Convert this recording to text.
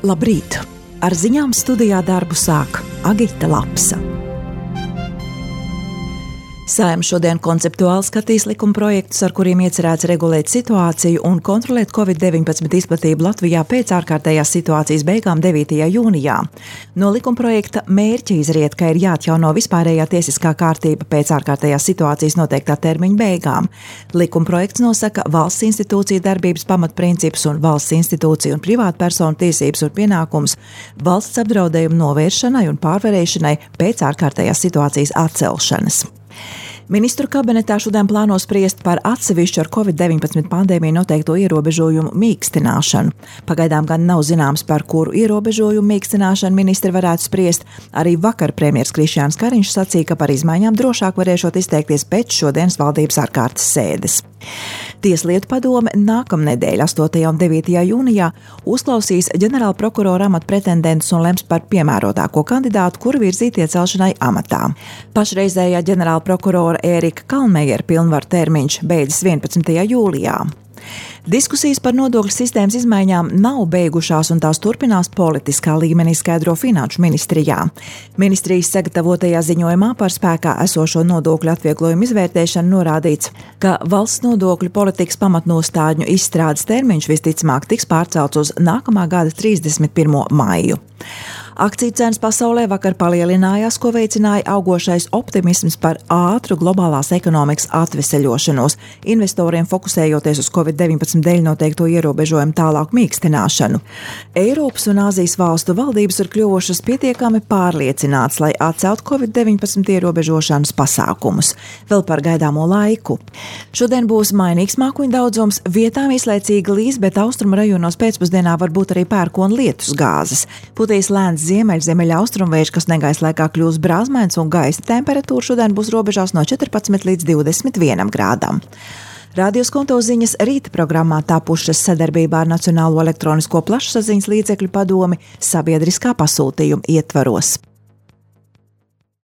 Labrīt! Ar ziņām studijā darbu sāk Agita Lapsa. Saeima šodien konceptuāli skatīs likumprojektus, ar kuriem iecerēts regulēt situāciju un kontrolēt Covid-19 izplatību Latvijā pēc ārkārtējās situācijas beigām 9. jūnijā. No likumprojekta mērķa izriet, ka ir jāatjauno vispārējā tiesiskā kārtība pēc ārkārtējās situācijas noteiktā termiņa beigām. Likumprojekts nosaka valsts institūciju darbības pamatprincipus un valsts institūciju un privātpersonu tiesības un pienākumus valsts apdraudējumu novēršanai un pārvarēšanai pēc ārkārtējās situācijas atcelšanas. Ministru kabinetā šodien plāno spriest par atsevišķu ar Covid-19 pandēmiju noteikto ierobežojumu mīkstināšanu. Pagaidām gan nav zināms, par kuru ierobežojumu mīkstināšanu ministri varētu spriest. Arī vakar premjers Krišjāns Kariņš sacīja, ka par izmaiņām drošāk varēšot izteikties pēc šodienas valdības ārkārtas sēdes. Tieslietu padome nākamnedēļ, 8. un 9. jūnijā, uzklausīs ģenerāla prokurora amata pretendentus un lems par piemērotāko kandidātu, kuru virzīt iecelšanai amatā. Pašreizējā ģenerāla prokurora Ērika Kalmejera pilnvaru termiņš beidzas 11. jūlijā. Diskusijas par nodokļu sistēmas izmaiņām nav beigušās un tās turpinās politiskā līmenī, skaidro Finanšu ministrijā. Ministrijas sagatavotajā ziņojumā par spēkā esošo nodokļu atvieglojumu izvērtēšanu norādīts, ka valsts nodokļu politikas pamatnostādņu izstrādes termiņš visticamāk tiks pārcelts uz nākamā gada 31. maiju. Akciju cenas pasaulē vakar palielinājās, ko veicināja augošais optimisms par ātru globālās ekonomikas atveseļošanos, investoriem fokusējoties uz Covid-19 dēļ noteikto ierobežojumu tālāku mīkstināšanu. Eiropas un Āzijas valstu valdības ir kļuvušas pietiekami pārliecināts, lai atcelt Covid-19 ierobežošanas pasākumus. Vēl par gaidāmo laiku. Šodien būs mainīgs mākoņu daudzums, vietām īslaicīgi līs, bet austrumu rajonos pēcpusdienā var būt arī pērkona lietus gāzes. Putīs lēns ziemeļaustrumvējš, kas negaiss laikā kļūs brāzmains un gaisa temperatūra šodien būs robežās no 14 līdz 21 grādam. Radio Skonto ziņas rīta programmā tapušas sadarbībā ar Nacionālo elektronisko plašsaziņas līdzekļu padomi sabiedriskā pasūtījuma ietvaros.